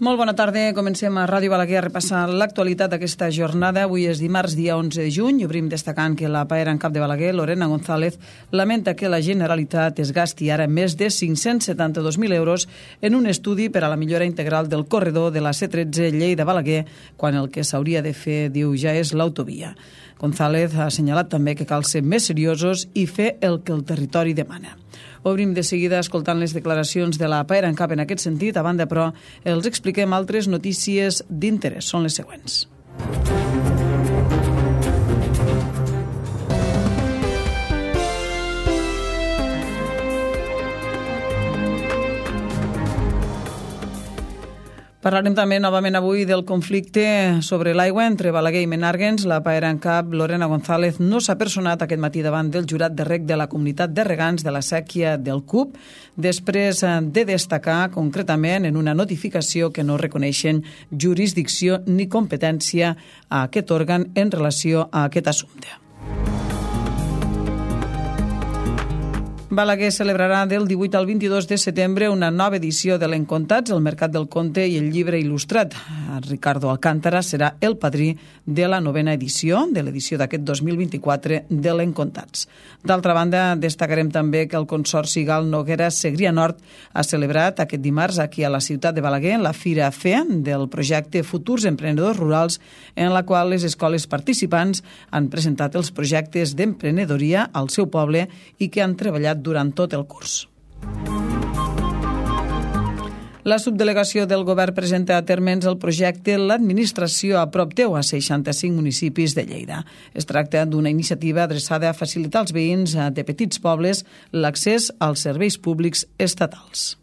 Molt bona tarda. Comencem a Ràdio Balaguer a repassar l'actualitat d'aquesta jornada. Avui és dimarts, dia 11 de juny. Obrim destacant que la paera en cap de Balaguer, Lorena González, lamenta que la Generalitat es gasti ara més de 572.000 euros en un estudi per a la millora integral del corredor de la C13 Lleida-Balaguer, quan el que s'hauria de fer, diu, ja és l'autovia. González ha assenyalat també que cal ser més seriosos i fer el que el territori demana. Obrim de seguida escoltant les declaracions de la paera en cap en aquest sentit. A banda, però, els expliquem altres notícies d'interès. Són les següents. Parlarem també novament avui del conflicte sobre l'aigua entre Balaguer i Menàrguens. La paera en cap, Lorena González, no s'ha personat aquest matí davant del jurat de reg de la comunitat de regants de la sèquia del CUP, després de destacar concretament en una notificació que no reconeixen jurisdicció ni competència a aquest òrgan en relació a aquest assumpte. Balaguer celebrarà del 18 al 22 de setembre una nova edició de l'Encontats, el Mercat del Conte i el Llibre Il·lustrat. Ricardo Alcántara serà el padrí de la novena edició, de l'edició d'aquest 2024 de l'Encontats. D'altra banda, destacarem també que el Consorci Gal Noguera Segrià Nord ha celebrat aquest dimarts aquí a la ciutat de Balaguer la Fira FE del projecte Futurs Emprenedors Rurals, en la qual les escoles participants han presentat els projectes d'emprenedoria al seu poble i que han treballat durant tot el curs. La subdelegació del govern presenta a termes el projecte L'administració a prop teu a 65 municipis de Lleida. Es tracta d'una iniciativa adreçada a facilitar als veïns de petits pobles l'accés als serveis públics estatals.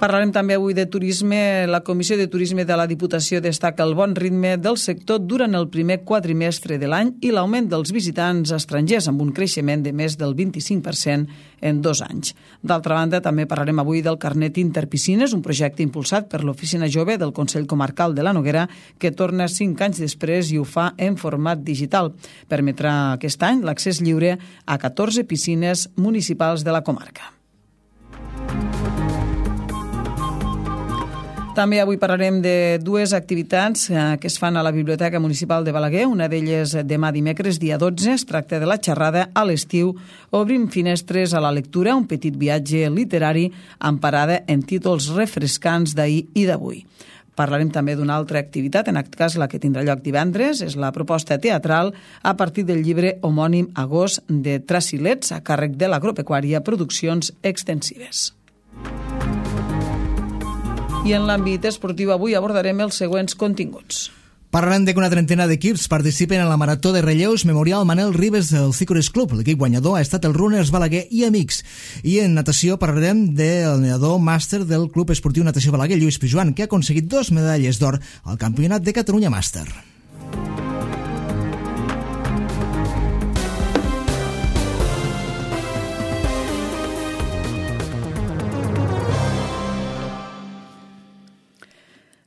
Parlarem també avui de turisme. La Comissió de Turisme de la Diputació destaca el bon ritme del sector durant el primer quadrimestre de l'any i l'augment dels visitants estrangers, amb un creixement de més del 25% en 2 anys. D'altra banda, també parlarem avui del carnet Interpiscines, un projecte impulsat per l'Oficina Jove del Consell Comarcal de la Noguera, que torna 5 anys després i ho fa en format digital. Permetrà aquest any l'accés lliure a 14 piscines municipals de la comarca. També avui parlarem de 2 activitats que es fan a la Biblioteca Municipal de Balaguer. Una d'elles demà dimecres, dia 12. Es tracta de la xerrada a l'estiu. Obrim finestres a la lectura, un petit viatge literari amb parada en títols refrescants d'ahir i d'avui. Parlarem també d'una altra activitat, en aquest cas la que tindrà lloc divendres, és la proposta teatral a partir del llibre homònim Agost de Tracilets, a càrrec de l'Agropecuària Produccions Extensives. I en l'àmbit esportiu avui abordarem els següents continguts. Parlarem de que una trentena d'equips participen en la Marató de Relleus Memorial Manel Ribes del Ciclures Club. L'equip guanyador ha estat el Runners Balaguer i Amics. I en natació parlarem del nedador màster del Club Esportiu Natació Balaguer, Lluís Pijuan, que ha aconseguit 2 medalles d'or al Campionat de Catalunya Màster.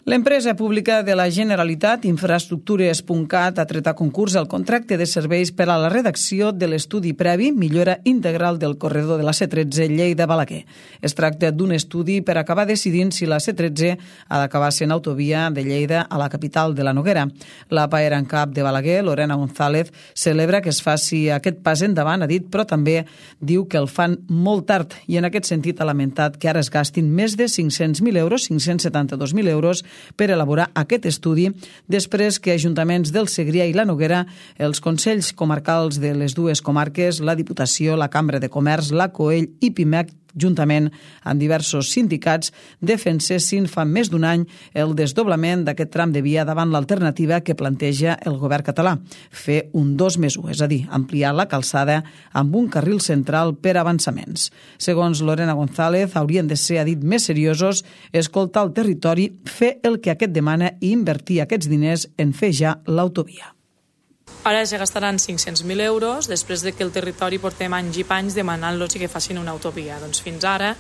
L'empresa pública de la Generalitat, Infraestructures.cat, ha tret a concurs el contracte de serveis per a la redacció de l'estudi previ Millora Integral del corredor de la C13 Lleida-Balaguer. Es tracta d'un estudi per acabar decidint si la C13 ha d'acabar sent autovia de Lleida a la capital de la Noguera. La paera en cap de Balaguer, Lorena González, celebra que es faci aquest pas endavant, ha dit, però també diu que el fan molt tard i en aquest sentit ha lamentat que ara es gastin més de 500.000 euros, 572.000 euros, per elaborar aquest estudi després que ajuntaments del Segrià i la Noguera, els consells comarcals de les 2 comarques, la Diputació, la Cambra de Comerç, la COEL i PIMEC, juntament amb diversos sindicats, defensessin fa més d'un any el desdoblament d'aquest tram de via davant l'alternativa que planteja el govern català, fer un 2+1, és a dir, ampliar la calçada amb un carril central per avançaments. Segons Lorena González, haurien de ser, ha dit, més seriosos, escoltar el territori, fer el que aquest demana i invertir aquests diners en fer ja l'autovia. Ara es gastaran 500.000 euros després de que el territori portem anys i panys demanant-los que facin una autovia. Doncs fins ara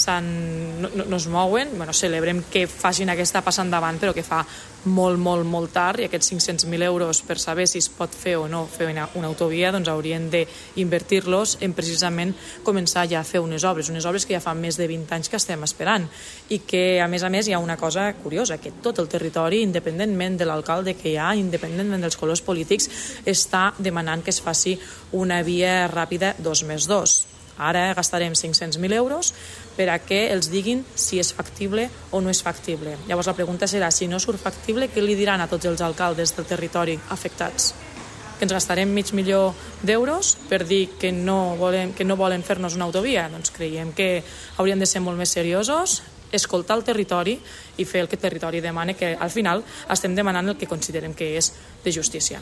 no es mouen. Celebrem que facin aquesta passa endavant, però que fa molt tard, i aquests 500.000 euros per saber si es pot fer o no fer una autovia, doncs haurien d'invertir-los en precisament començar ja a fer unes obres que ja fa més de 20 anys que estem esperant, i que a més hi ha una cosa curiosa, que tot el territori, independentment de l'alcalde que hi ha, independentment dels colors polítics, està demanant que es faci una via ràpida 2+2. Ara gastarem 500.000 euros per a que els diguin si és factible o no és factible. Llavors la pregunta serà, si no surt factible, què li diran a tots els alcaldes del territori afectats? Que ens gastarem $500.000 per dir que no volen fer-nos una autovia? Doncs creiem que hauríem de ser molt més seriosos, escoltar el territori i fer el que el territori demana, que al final estem demanant el que considerem que és de justícia.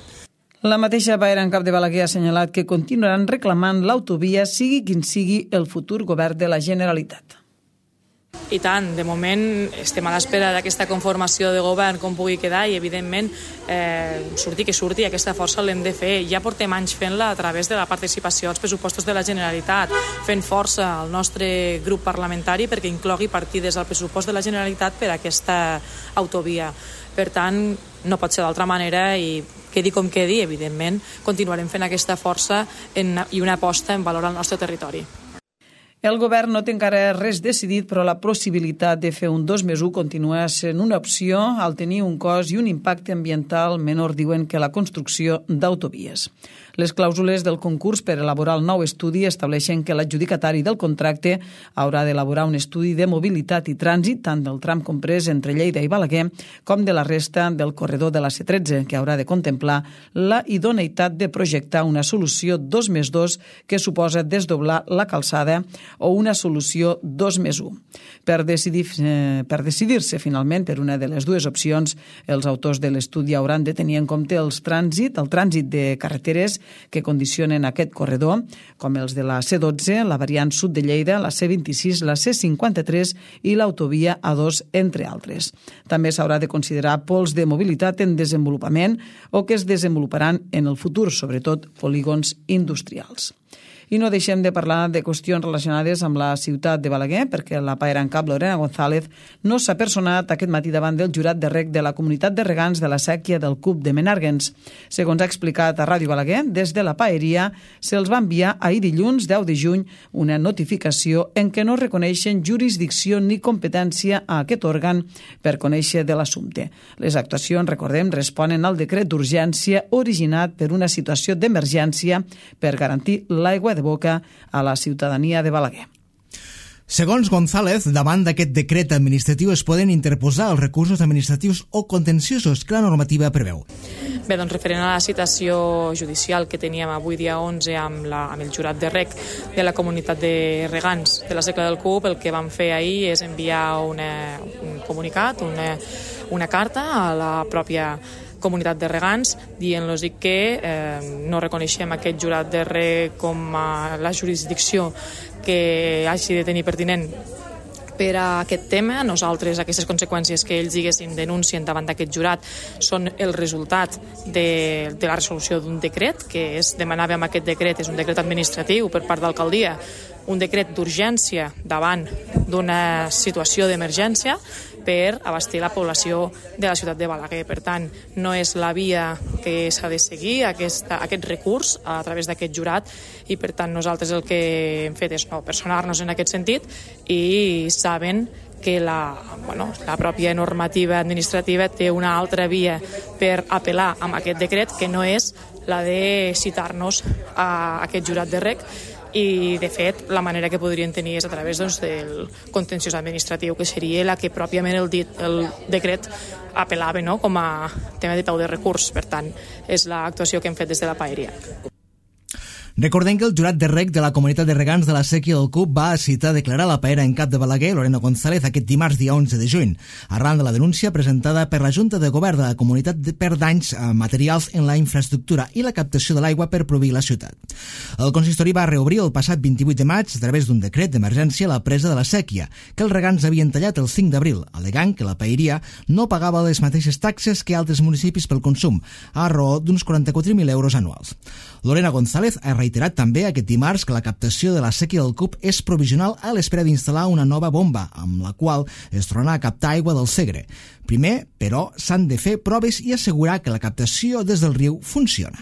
La mateixa Paera en cap de Balaguer ha assenyalat que continuaran reclamant l'autovia, sigui quin sigui el futur govern de la Generalitat. I tant, de moment estem a l'espera d'aquesta conformació de govern com pugui quedar, i evidentment surti que surti, aquesta força l'hem de fer. Ja portem anys fent-la a través de la participació als pressupostos de la Generalitat, fent força al nostre grup parlamentari perquè inclogui partides al pressupost de la Generalitat per a aquesta autovia. Per tant, no pot ser d'altra manera, i quedi com quedi, evidentment, continuarem fent aquesta força i una aposta en valor al nostre territori. El govern no té encara res decidit, però la possibilitat de fer un 2+1 continua sent una opció al tenir un cost i un impacte ambiental menor, diuen, que la construcció d'autovies. Les clàusules del concurs per elaborar el nou estudi estableixen que l'adjudicatari del contracte haurà d'elaborar un estudi de mobilitat i trànsit, tant del tram comprès entre Lleida i Balaguer com de la resta del corredor de la C13, que haurà de contemplar la idoneïtat de projectar una solució 2+2 que suposa desdoblar la calçada o una solució 2+1. Per decidir-se finalment per una de les dues opcions, els autors de l'estudi hauran de tenir en compte el trànsit de carreteres que condicionen aquest corredor, com els de la C12, la variant sud de Lleida, la C26, la C53 i l'autovia A2, entre altres. També s'haurà de considerar pols de mobilitat en desenvolupament o que es desenvoluparan en el futur, sobretot polígons industrials. I no deixem de parlar de qüestions relacionades amb la ciutat de Balaguer, perquè la Paera en cap, Lorena González, no s'ha personat aquest matí davant del jurat de reg de la comunitat de regants de la sèquia del CUP de Menàrguens. Segons ha explicat a Ràdio Balaguer, des de la paeria se'ls va enviar ahir dilluns 10 de juny una notificació en què no reconeixen jurisdicció ni competència a aquest òrgan per conèixer de l'assumpte. Les actuacions, recordem, responen al decret d'urgència originat per una situació d'emergència per garantir l'aigua de boca a la ciutadania de Balaguer. Segons González, davant d'aquest decret administratiu es poden interposar els recursos administratius o contenciosos que la normativa preveu. Bé, doncs referent a la citació judicial que teníem avui dia 11 amb el jurat de reg de la comunitat de regants de la Secla del CUP, el que vam fer ahir és enviar un comunicat, una carta a la pròpia comunitat de regants, dient-los que no reconeixem aquest jurat de reg com la jurisdicció que hagi de tenir pertinent per a aquest tema. Nosaltres, aquestes conseqüències que ells denuncien davant d'aquest jurat són el resultat de la resolució d'un decret, que demanava amb aquest decret, és un decret administratiu per part d'alcaldia, un decret d'urgència davant d'una situació d'emergència per abastir la població de la ciutat de Balaguer. Per tant, no és la via que s'ha de seguir, aquest recurs a través d'aquest jurat, i per tant nosaltres el que hem fet és no personar-nos en aquest sentit, i saben que la pròpia normativa administrativa té una altra via per apel·lar amb aquest decret, que no és la de citar-nos a aquest jurat de reg, i de fet la manera que podrien tenir és a través del contenciós administratiu, que seria la que pròpiament el decret apel·lava com a tema de peu de recurs. Per tant, és l'actuació que hem fet des de la paeria. Recordem que el jurat de reg de la comunitat de regants de la sèquia del CUP va citar a declarar la Paera en cap de Balaguer, Lorena González, aquest dimarts dia 11 de juny, arran de la denúncia presentada per la Junta de Govern de la comunitat per danys materials en la infraestructura i la captació de l'aigua per proveir la ciutat. El consistori va reobrir el passat 28 de maig a través d'un decret d'emergència la presa de la sèquia, que els regants havien tallat el 5 d'abril, al·legant que la paeria no pagava les mateixes taxes que altres municipis pel consum, a raó d'uns 44.000 euros anuals. Lorena González ha reiterat també aquest dimarts que la captació de la sèquia del Cup és provisional a l'espera d'instal·lar una nova bomba, amb la qual es tornarà a captar aigua del Segre. Primer, però, s'han de fer proves i assegurar que la captació des del riu funciona.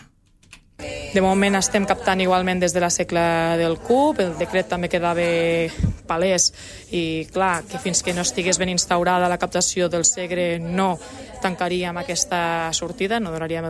De moment estem captant igualment des de la secla del Cup, el decret també quedava palès i clar, que fins que no estigués ben instaurada la captació del Segre no tancaríem aquesta sortida, no donaríem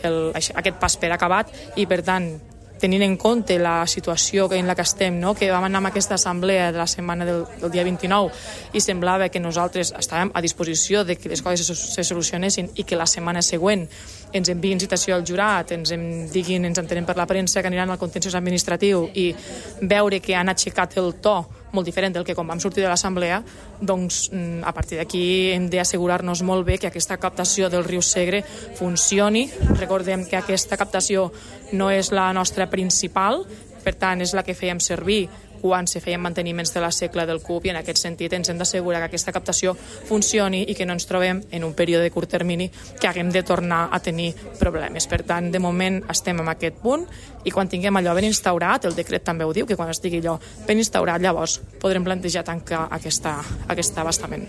aquest pas per acabat i per tant, tenint en compte la situació en la que estem, no? Que vam anar a aquesta assemblea de la setmana del dia 29 i semblava que nosaltres estàvem a disposició de que les coses se solucionessin i que la setmana següent ens enviïn citació al jurat, ens entenem per la premsa que aniran al contenciós administratiu i veure que han aixecat el to molt diferent del que quan vam sortir de l'assemblea, doncs a partir d'aquí hem d'assegurar-nos molt bé que aquesta captació del riu Segre funcioni. Recordem que aquesta captació no és la nostra principal, per tant és la que fèiem servir quan se feien manteniments de la secla del Cup i en aquest sentit ens hem d'assegurar que aquesta captació funcioni i que no ens trobem en un període de curt termini que haguem de tornar a tenir problemes. Per tant, de moment estem en aquest punt i quan tinguem allò ben instaurat, el decret també ho diu, que quan estigui allò ben instaurat llavors podrem plantejar tancar aquest abastament.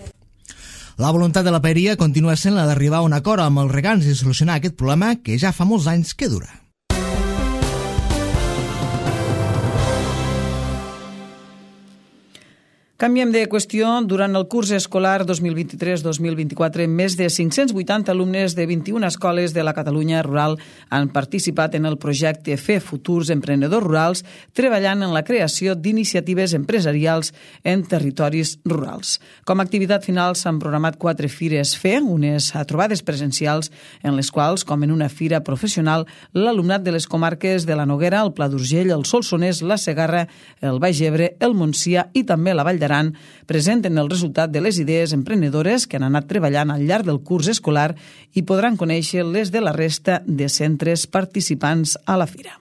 La voluntat de la paeria continua sent la d'arribar a un acord amb els regants i solucionar aquest problema que ja fa molts anys que dura. Canviem de qüestió. Durant el curs escolar 2023-2024, més de 580 alumnes de 21 escoles de la Catalunya rural han participat en el projecte Fer Futurs Emprenedors Rurals, treballant en la creació d'iniciatives empresarials en territoris rurals. Com a activitat final s'han programat 4 fires Fer, unes trobades presencials en les quals, com en una fira professional, l'alumnat de les comarques de la Noguera, el Pla d'Urgell, el Solsonès, la Segarra, el Baix Ebre, el Montsià i també la Vall d'Aran presenten el resultat de les idees emprenedores que han anat treballant al llarg del curs escolar i podran conèixer les de la resta de centres participants a la fira.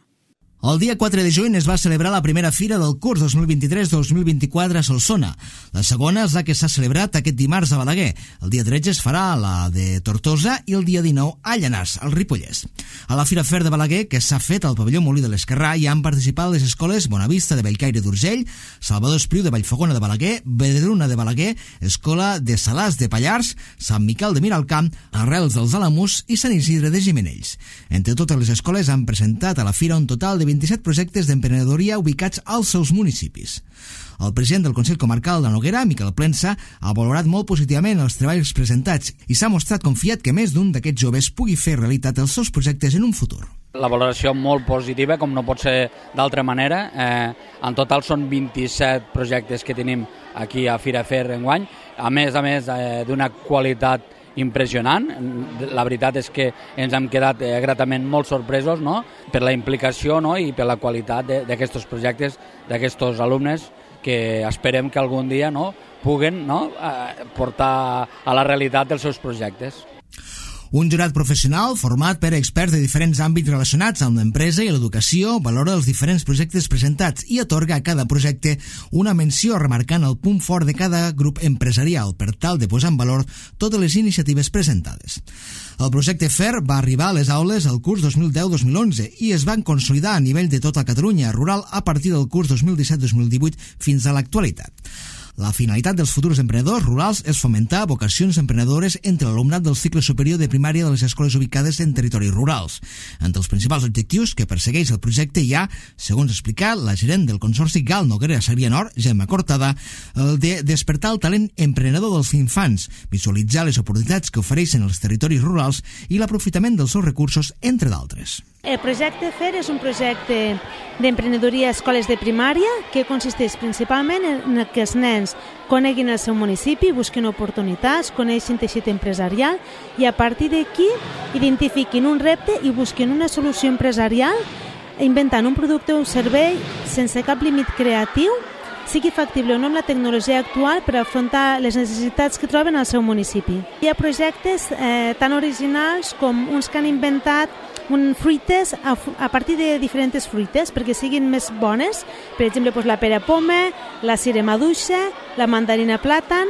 El dia 4 de juny es va celebrar la primera fira del curs 2023-2024 a Solsona. La segona és la que s'ha celebrat aquest dimarts a Balaguer. El dia 13 es farà la de Tortosa i el dia 19 a Llanars, al Ripollès. A la Fira Fer de Balaguer, que s'ha fet al pavelló Molí de l'Esquerrà, hi han participat les escoles Bonavista de Bellcaire d'Urgell, Salvador Espriu de Vallfogona de Balaguer, Vedruna de Balaguer, Escola de Salàs de Pallars, Sant Miquel de Miralcamp, Arrels dels Alamús i Sant Isidre de Gimenells. Entre totes les escoles han presentat a la fira un total de 27 projectes d'emprenedoria ubicats als seus municipis. El president del Consell Comarcal de Noguera, Miquel Plensa, ha valorat molt positivament els treballs presentats i s'ha mostrat confiat que més d'un d'aquests joves pugui fer realitat els seus projectes en un futur. La valoració molt positiva, com no pot ser d'altra manera. En total són 27 projectes que tenim aquí a Fira Fer enguany, a més d'una qualitat impressionant. La veritat és que ens hem quedat gratament molt sorpresos, no? Per la implicació, no? I per la qualitat d'aquests projectes, d'aquests alumnes que esperem que algun dia, no? Puguen, no? Portar a la realitat els seus projectes. Un jurat professional format per experts de diferents àmbits relacionats amb l'empresa i l'educació valora els diferents projectes presentats i atorga a cada projecte una menció remarcant el punt fort de cada grup empresarial per tal de posar en valor totes les iniciatives presentades. El projecte FER va arribar a les aules el curs 2010-2011 i es van consolidar a nivell de tota Catalunya rural a partir del curs 2017-2018 fins a l'actualitat. La finalitat dels futurs emprenedors rurals és fomentar vocacions emprenedores entre l'alumnat del cicle superior de primària de les escoles ubicades en territoris rurals. Entre els principals objectius que persegueix el projecte hi ha, segons explicat la gerent del Consorci GAL Noguera Segrià Nord, Gemma Cortada, el de despertar el talent emprenedor dels infants, visualitzar les oportunitats que ofereixen els territoris rurals i l'aprofitament dels seus recursos, entre d'altres. El projecte FER és un projecte d'emprenedoria a escoles de primària que consisteix principalment en que els nens coneguin el seu municipi, busquin oportunitats, coneixin teixit empresarial i a partir d'aquí identifiquin un repte i busquin una solució empresarial inventant un producte o un servei sense cap límit creatiu, sigui factible o no amb la tecnologia actual per afrontar les necessitats que troben al seu municipi. Hi ha projectes tan originals com uns que han inventat fruites a partir de diferents fruites perquè siguin més bones, per exemple la pera poma, la cira maduixa, la mandarina plàtan.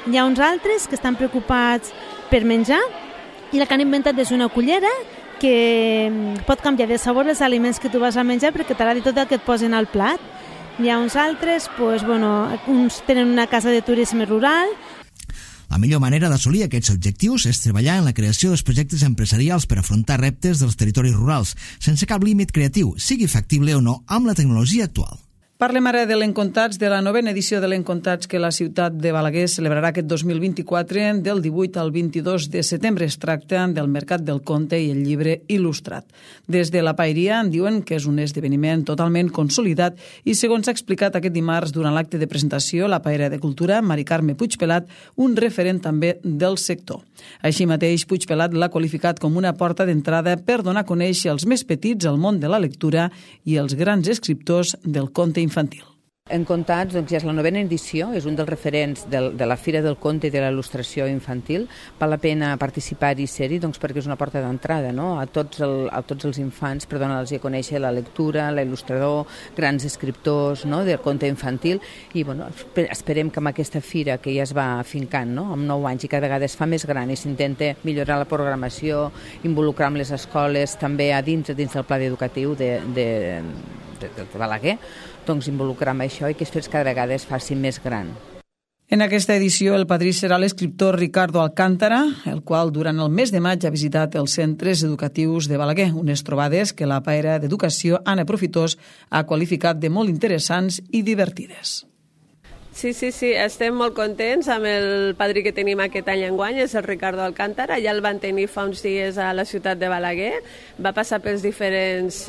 Hi ha uns altres que estan preocupats per menjar i la que han inventat és una cullera que pot canviar de sabor els aliments que tu vas a menjar perquè t'agradi tot el que et posen al plat. Hi ha uns altres, uns tenen una casa de turisme rural. La millor manera d'assolir aquests objectius és treballar en la creació dels projectes empresarials per afrontar reptes dels territoris rurals, sense cap límit creatiu, sigui factible o no amb la tecnologia actual. Parlem ara de l'Encontats, de la 9a edició de l'Encontats que la ciutat de Balaguer celebrarà aquest 2024 del 18 al 22 de setembre. Es tracta del Mercat del Conte i el llibre il·lustrat. Des de la Paeria en diuen que és un esdeveniment totalment consolidat i, segons s'ha explicat aquest dimarts durant l'acte de presentació, la Paeria de Cultura, Mari Carme Puigpelat, un referent també del sector. Així mateix, Puigpelat l'ha qualificat com una porta d'entrada per donar a conèixer els més petits el món de la lectura i els grans escriptors del conte infantil. Encontats, ja és la 9a edició, és un dels referents de la Fira del Conte i de la Il·lustració infantil. Val la pena participar i ser-hi perquè és una porta d'entrada, no? a tots els infants per donar-los a conèixer la lectura, l'il·lustrador, grans escriptors, no? del conte infantil, i esperem que amb aquesta fira que ja es va afincant, no? amb 9 anys i cada vegada es fa més gran i s'intenta millorar la programació, involucrar amb les escoles també dins del pla educatiu de Balaguer, doncs involucrar amb això i que es cada vegada es faci més gran. En aquesta edició el padrí serà l'escriptor Ricardo Alcántara, el qual durant el mes de maig ha visitat els centres educatius de Balaguer, unes trobades que la Paeria d'Educació, Anna Profitós, ha qualificat de molt interessants i divertides. Sí, estem molt contents amb el padrí que tenim aquest any enguany, és el Ricardo Alcántara, ja el van tenir fa uns dies a la ciutat de Balaguer, va passar pels diferents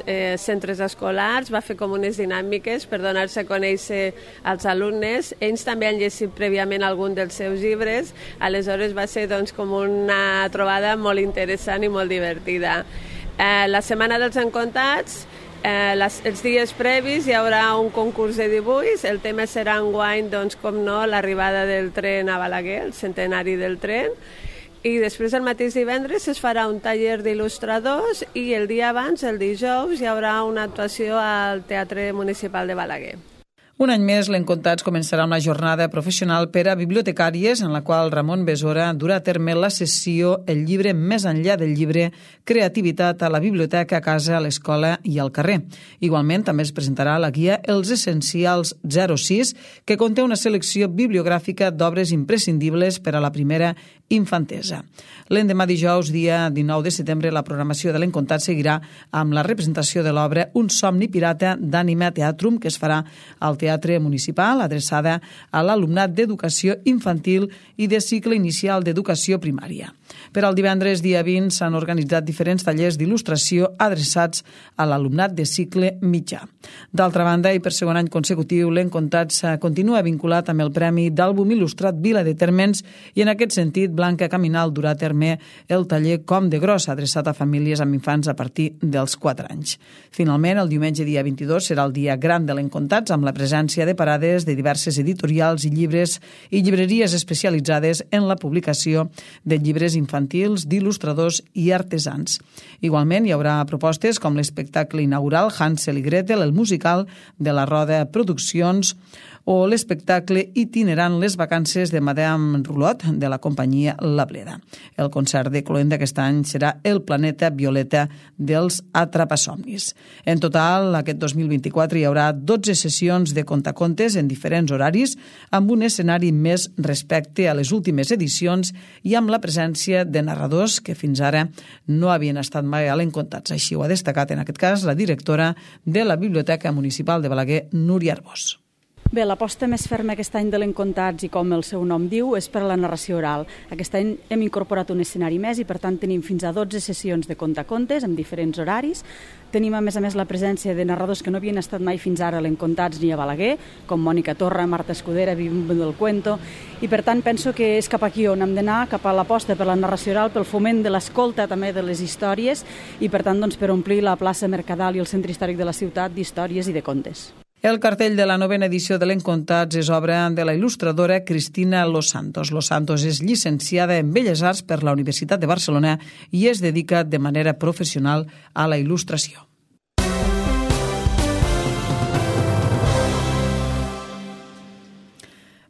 centres escolars, va fer com unes dinàmiques per donar-se a conèixer als alumnes, ells també han llegit prèviament algun dels seus llibres, aleshores va ser com una trobada molt interessant i molt divertida. La Setmana dels Encontats, els dies previs hi haurà un concurs de dibuix, el tema serà enguany, com no, l'arribada del tren a Balaguer, el centenari del tren, i després el mateix divendres es farà un taller d'il·lustradors i el dia abans, el dijous, hi haurà una actuació al Teatre Municipal de Balaguer. Un any més, l'Encontats començarà una jornada professional per a bibliotecàries en la qual Ramon Besora durà a terme la sessió El llibre més enllà del llibre, creativitat a la biblioteca, a casa, a l'escola i al carrer. Igualment, també es presentarà la guia Els Essencials 06, que conté una selecció bibliogràfica d'obres imprescindibles per a la primera infantesa. L'endemà dijous, dia 19 de setembre, la programació de l'Encontats seguirà amb la representació de l'obra Un somni pirata d'Ànima Teatrum, que es farà al Teatre Municipal, adreçada a l'alumnat d'educació infantil i de cicle inicial d'educació primària. Per al divendres, dia 20, s'han organitzat diferents tallers d'il·lustració adreçats a l'alumnat de cicle mitjà. D'altra banda, i per segon any consecutiu, l'Encontats continua vinculat amb el Premi d'Àlbum Il·lustrat Vila de Térmens i, en aquest sentit, Blanca Caminal durà a terme el taller Com de Gros, adreçat a famílies amb infants a partir dels 4 anys. Finalment, el diumenge dia 22 serà el dia gran de l'Encontats, amb la presència de parades de diverses editorials i llibres i llibreries especialitzades en la publicació de llibres infantils, d'il·lustradors i artesans. Igualment, hi haurà propostes com l'espectacle inaugural Hansel i Gretel, el musical de la Roda Produccions o l'espectacle itinerant Les vacances de Madame Roulotte de la companyia La Bleda. El concert de cloent d'aquest any serà El planeta violeta dels Atrapasomnis. En total, aquest 2024 hi haurà 12 sessions de contacontes en diferents horaris, amb un escenari més respecte a les últimes edicions i amb la presència de narradors que fins ara no havien estat mai a l'Encontats. Així ho ha destacat en aquest cas la directora de la Biblioteca Municipal de Balaguer, Núria Arbós. Bé, l'aposta més ferma aquest any de l'Encontats, i com el seu nom diu, és per a la narració oral. Aquest any hem incorporat un escenari més i, per tant, tenim fins a 12 sessions de contacontes amb diferents horaris. Tenim, a més, la presència de narradors que no havien estat mai fins ara a l'Encontats ni a Balaguer, com Mònica Torra, Marta Escudera, Bimbo del Cuento, i, per tant, penso que és cap aquí on hem d'anar, cap a l'aposta per la narració oral, pel foment de l'escolta també de les històries i, per tant, per omplir la plaça Mercadal i el centre històric de la ciutat d'històries i de contes. El cartell de la 9a edició de l'Encontats és obra de la il·lustradora Cristina Los Santos. Los Santos és llicenciada en Belles Arts per la Universitat de Barcelona i es dedica de manera professional a la il·lustració.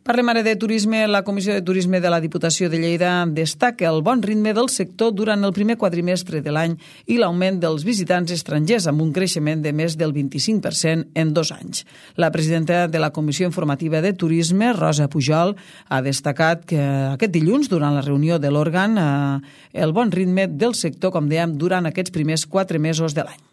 Parlem ara de turisme. La Comissió de Turisme de la Diputació de Lleida destaca el bon ritme del sector durant el primer quadrimestre de l'any i l'augment dels visitants estrangers, amb un creixement de més del 25% en 2 anys. La presidenta de la Comissió Informativa de Turisme, Rosa Pujol, ha destacat que aquest dilluns, durant la reunió de l'òrgan, el bon ritme del sector, com dèiem, durant aquests primers 4 mesos de l'any.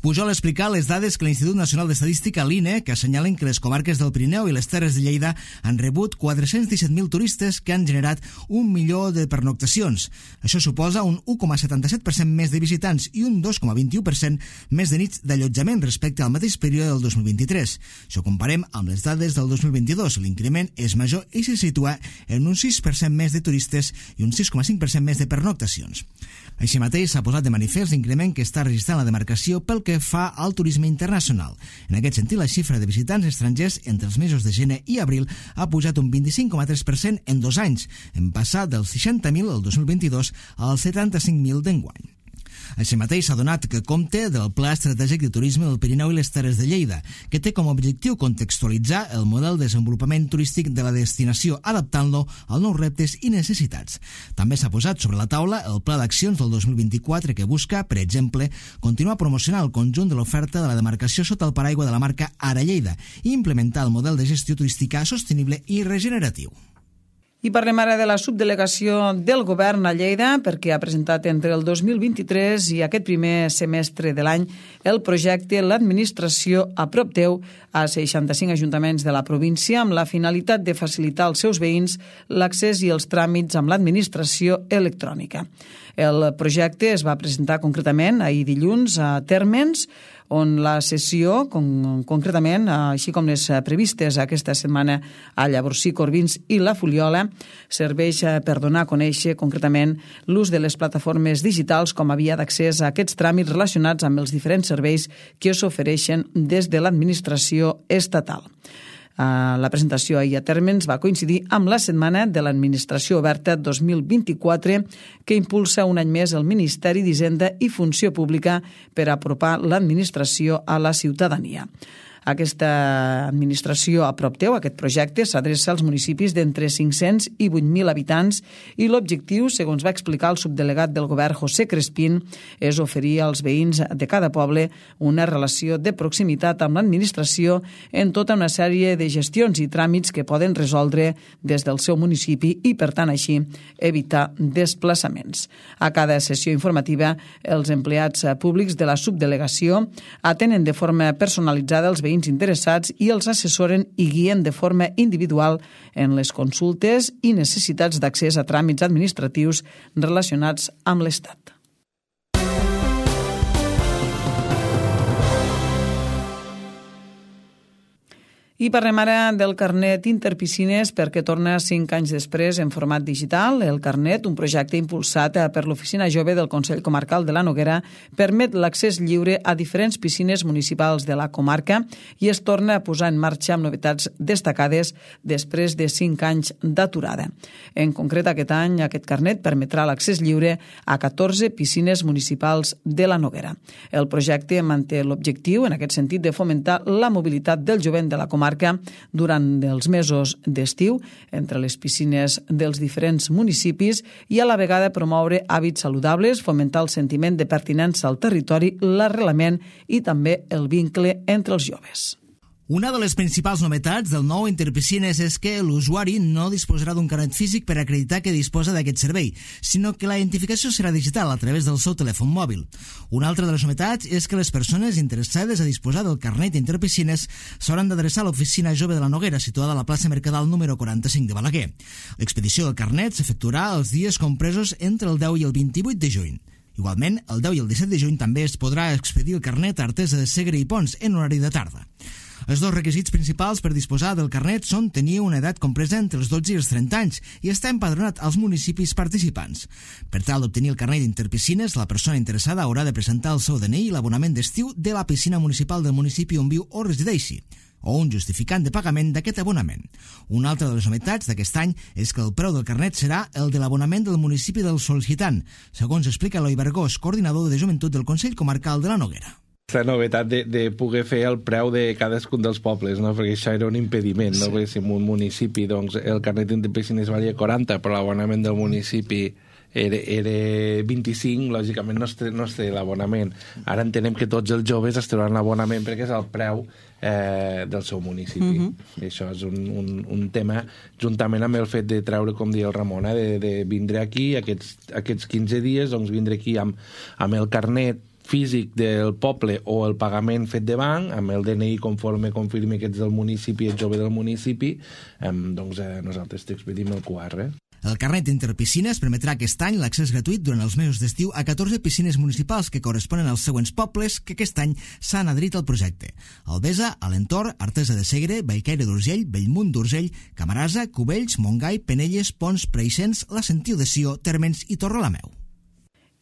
Pujol ha explicat les dades que l'Institut Nacional d'Estadística, l'INE, que assenyalen que les comarques del Pirineu i les Terres de Lleida han rebut 417.000 turistes que han generat 1 milió de pernoctacions. Això suposa un 1,77% més de visitants i un 2,21% més de nits d'allotjament respecte al mateix període del 2023. Si ho comparem amb les dades del 2022, l'increment és major i se situa en un 6% més de turistes i un 6,5% més de pernoctacions. Així mateix s'ha posat de manifest l'increment que està registrant la demarcació pel que fa al turisme internacional. En aquest sentit, la xifra de visitants estrangers entre els mesos de gener i abril ha pujat un 25,3% en 2 anys, en passar dels 60.000 el 2022 als 75.000 d'enguany. Així mateix s'ha donat que compte del Pla Estratègic de Turisme del Pirineu i les Terres de Lleida, que té com a objectiu contextualitzar el model de desenvolupament turístic de la destinació, adaptant-lo als nous reptes i necessitats. També s'ha posat sobre la taula el Pla d'Accions del 2024 que busca, per exemple, continuar promocionant el conjunt de l'oferta de la demarcació sota el paraigua de la marca Ara Lleida i implementar el model de gestió turística sostenible i regeneratiu. I parlem ara de la subdelegació del govern a Lleida, perquè ha presentat entre el 2023 i aquest primer semestre de l'any el projecte L'administració a prop teu a 65 ajuntaments de la província amb la finalitat de facilitar als seus veïns l'accés i els tràmits amb l'administració electrònica. El projecte es va presentar concretament ahir dilluns a Térmens, on la sessió, concretament, així com les previstes aquesta setmana a Llavorsí, Corbins i la Fuliola, serveix per donar a conèixer concretament l'ús de les plataformes digitals com a via d'accés a aquests tràmits relacionats amb els diferents serveis que s'ofereixen des de l'administració estatal. La presentació ahir a Térmens va coincidir amb la Setmana de l'Administració Oberta 2024 que impulsa un any més el Ministeri d'Hisenda i Funció Pública per apropar l'administració a la ciutadania. Aquesta administració a prop teu, aquest projecte, s'adreça als municipis d'entre 500 i 8.000 habitants i l'objectiu, segons va explicar el subdelegat del govern José Crespín, és oferir als veïns de cada poble una relació de proximitat amb l'administració en tota una sèrie de gestions i tràmits que poden resoldre des del seu municipi i, per tant, així, evitar desplaçaments. A cada sessió informativa, els empleats públics de la subdelegació atenen de forma personalitzada els veïns interessats i els assessoren i guien de forma individual en les consultes i necessitats d'accés a tràmits administratius relacionats amb l'Estat. I parlem ara del carnet Interpiscines perquè torna 5 anys després en format digital. El carnet, un projecte impulsat per l'Oficina Jove del Consell Comarcal de la Noguera, permet l'accés lliure a diferents piscines municipals de la comarca i es torna a posar en marxa amb novetats destacades després de 5 anys d'aturada. En concret, aquest any, aquest carnet permetrà l'accés lliure a 14 piscines municipals de la Noguera. El projecte manté l'objectiu, en aquest sentit, de fomentar la mobilitat del jovent de la comarca durant els mesos d'estiu entre les piscines dels diferents municipis i a la vegada promoure hàbits saludables, fomentar el sentiment de pertinença al territori, l'arrelament i també el vincle entre els joves. Una de les principals novetats del nou Interpiscines és que l'usuari no disposarà d'un carnet físic per acreditar que disposa d'aquest servei, sinó que la identificació serà digital a través del seu telèfon mòbil. Una altra de les novetats és que les persones interessades a disposar del carnet Interpiscines s'hauran d'adreçar a l'Oficina Jove de la Noguera, situada a la plaça Mercadal número 45 de Balaguer. L'expedició del carnet s'efectuarà els dies compresos entre el 10 i el 28 de juny. Igualment, el 10 i el 17 de juny també es podrà expedir el carnet a Artesa de Segre i Pons en horari de tarda. Els dos requisits principals per disposar del carnet són tenir una edat compresa entre els 12 i els 30 anys i estar empadronat als municipis participants. Per tal d'obtenir el carnet d'Interpiscines, la persona interessada haurà de presentar el seu DNI i l'abonament d'estiu de la piscina municipal del municipi on viu o resideixi, o un justificant de pagament d'aquest abonament. Una altra de les novetats d'aquest any és que el preu del carnet serà el de l'abonament del municipi del sol·licitant, segons explica Eloi Vergós, coordinador de joventut del Consell Comarcal de la Noguera. La novetat de poder fer el preu de cadascun dels pobles, no? Perquè això era un impediment, no? Perquè si en un municipi doncs, el carnet de piscines valia 40, però l'abonament del municipi era 25, lògicament no es té l'abonament. Ara entenem que tots els joves es trauran l'abonament perquè és el preu del seu municipi. Això és un tema, juntament amb el fet de treure, com deia el Ramon, de vindre aquí, aquests 15 dies, doncs vindre aquí amb el carnet físic del poble o el pagament fet de banc, amb el DNI conforme confirmi que ets del municipi, ets jove del municipi, doncs nosaltres t'expedim el QR. El carnet interpiscines permetrà aquest any l'accés gratuït durant els mesos d'estiu a 14 piscines municipals que corresponen als següents pobles que aquest any s'han adherit al projecte: Albesa, Alentorn, Artesa de Segre, Bellcaire d'Urgell, Bellmunt d'Urgell, Camarasa, Cubells, Montgai, Penelles, Pons, Preixens, la Sentiu de Sió, Térmens i Torrelameu.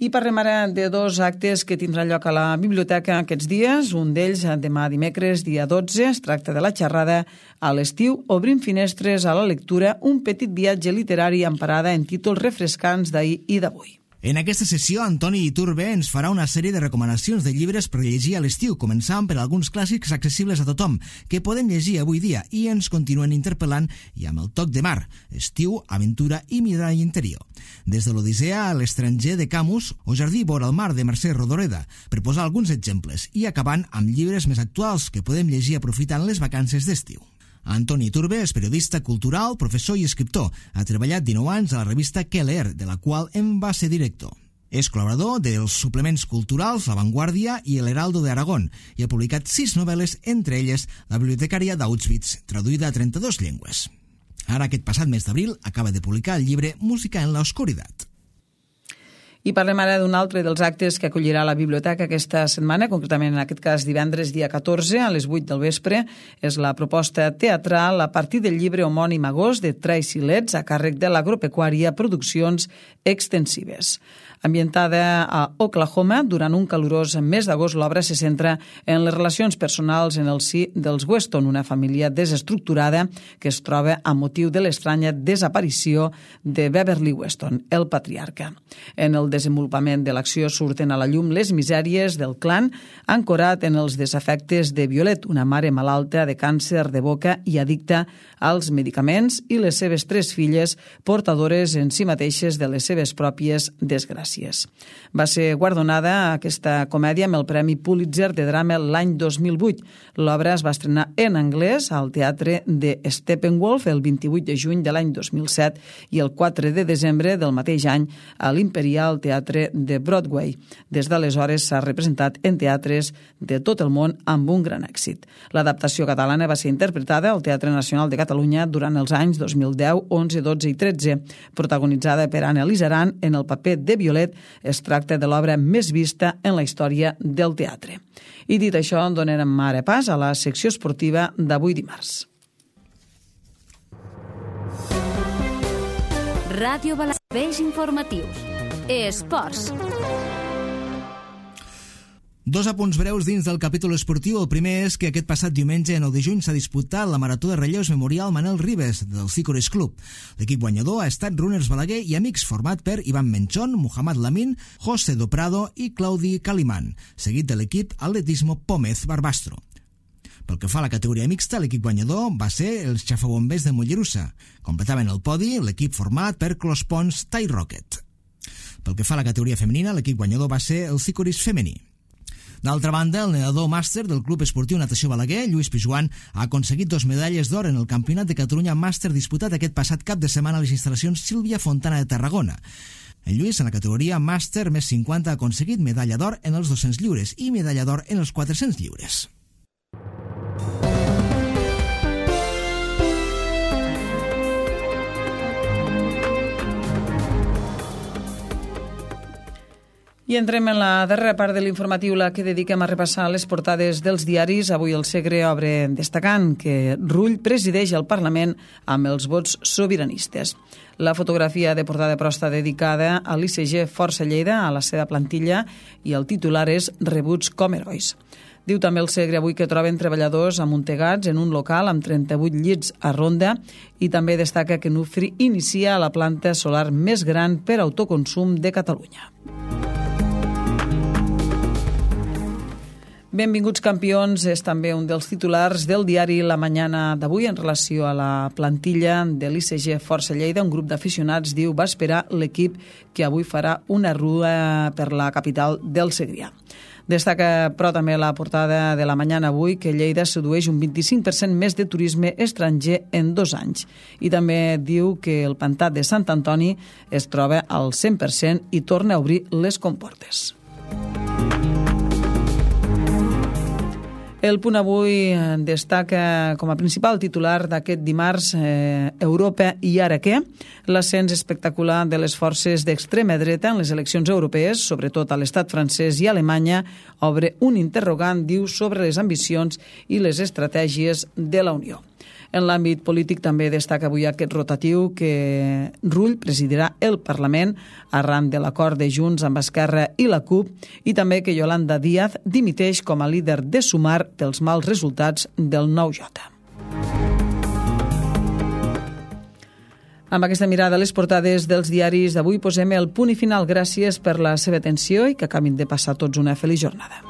I parlem ara de dos actes que tindran lloc a la biblioteca aquests dies. Un d'ells demà dimecres, dia 12, es tracta de la xerrada a l'estiu Obrim finestres a la lectura, un petit viatge literari amb parada en títols refrescants d'ahir i d'avui. En aquesta sessió, Antoni Iturbe ens farà una sèrie de recomanacions de llibres per llegir a l'estiu, començant per alguns clàssics accessibles a tothom, que podem llegir avui dia i ens continuen interpel·lant i amb el toc de mar, estiu, aventura i mirall interior. Des de l'Odissea a l'estranger de Camus o Jardí vora el mar de Mercè Rodoreda, per posar alguns exemples, i acabant amb llibres més actuals que podem llegir aprofitant les vacances d'estiu. Antoni Iturbe és periodista cultural, professor i escriptor. Ha treballat 19 anys a la revista Què leer, de la qual en va ser director. És col·laborador dels suplements culturals La Vanguardia i El Heraldo de Aragón i ha publicat 6 novel·les, entre elles La bibliotecària d'Auschwitz, traduïda a 32 llengües. Ara, aquest passat mes d'abril, acaba de publicar el llibre Música en la oscuridad. I parlem ara d'un altre dels actes que acollirà la biblioteca aquesta setmana, concretament en aquest cas divendres dia 14 a les 8 del vespre. És la proposta teatral a partir del llibre homònim Agost de Tracy Letts a càrrec de l'Agropecuària Produccions Extensives. Ambientada a Oklahoma, durant un calorós mes d'agost, l'obra se centra en les relacions personals en el si dels Weston, una família desestructurada que es troba a motiu de l'estranya desaparició de Beverly Weston, el patriarca. En el desenvolupament de l'acció surten a la llum les misèries del clan, ancorat en els desafectes de Violet, una mare malalta de càncer de boca i addicta als medicaments, i les seves 3 filles, portadores en si mateixes de les seves pròpies desgràcies. Va ser guardonada aquesta comèdia amb el Premi Pulitzer de drama l'any 2008. L'obra es va estrenar en anglès al Teatre de Steppenwolf el 28 de juny de l'any 2007 i el 4 de desembre del mateix any a l'Imperial Teatre de Broadway. Des d'aleshores s'ha representat en teatres de tot el món amb un gran èxit. L'adaptació catalana va ser interpretada al Teatre Nacional de Catalunya durant els anys 2010, 11, 12 i 13. Protagonitzada per Anna Lizaran en el paper de Violet, es tracta de l'obra més vista en la història del teatre. I dit això, donem ara pas a la secció esportiva d'avui dimarts. Ràdio Balarbeix informatius. Esports. 2 apunts breus dins del capítol esportiu. El primer és que aquest passat diumenge, 9 de juny, s'ha disputat la Marató de Relleus Memorial Manel Ribes del Cícores Club. L'equip guanyador ha estat Runners Balaguer i Amics, format per Ivan Menchón, Muhammad Lamin, José Doprado i Claudi Calimán, seguit de l'equip Atletismo Pómez Barbastro. Pel que fa a la categoria mixta, l'equip guanyador va ser els Xafabombers de Mollerussa. Completaven el podi l'equip format per Clospons Tai Rocket. Pel que fa a la categoria femenina, l'equip guanyador va ser el Cícoris femení. D'altra banda, el nedador màster del Club Esportiu Natació Balaguer, Lluís Pijuan, ha aconseguit 2 medalles d'or en el Campionat de Catalunya Màster disputat aquest passat cap de setmana a les instal·lacions Sílvia Fontana de Tarragona. En Lluís, en la categoria Màster més 50, ha aconseguit medalla d'or en els 200 lliures i medalla d'or en els 400 lliures. I entrem en la darrera part de l'informatiu, la que dediquem a repassar les portades dels diaris. Avui el Segre obre destacant que Rull presideix el Parlament amb els vots sobiranistes. La fotografia de portada però està dedicada a l'ICG Força Lleida, a la seva plantilla, i el titular és Rebuts com herois. Diu també el Segre avui que troben treballadors amuntegats en un local amb 38 llits a Ronda, i també destaca que Nufri inicia la planta solar més gran per autoconsum de Catalunya. Benvinguts campions és també un dels titulars del diari La Mañana d'avui en relació a la plantilla de l'ICG Força Lleida. Un grup d'aficionats diu va esperar l'equip que avui farà una rua per la capital del Segrià. Destaca, però, també la portada de La Mañana avui que Lleida sedueix un 25% més de turisme estranger en 2 anys. I també diu que el pantà de Sant Antoni es troba al 100% i torna a obrir les comportes. El Punt Avui destaca com a principal titular d'aquest dimarts Europa i ara què? L'ascens espectacular de les forces d'extrema dreta en les eleccions europees, sobretot a l'estat francès i Alemanya, obre un interrogant, diu, sobre les ambicions i les estratègies de la Unió. En l'àmbit polític també destaca avui aquest rotatiu que Rull presidirà el Parlament arran de l'acord de Junts amb Esquerra i la CUP i també que Yolanda Díaz dimiteix com a líder de Sumar pels mals resultats del 9J. Amb aquesta mirada a les portades dels diaris d'avui posem el punt i final. Gràcies per la seva atenció i que acabin de passar tots una feliç jornada.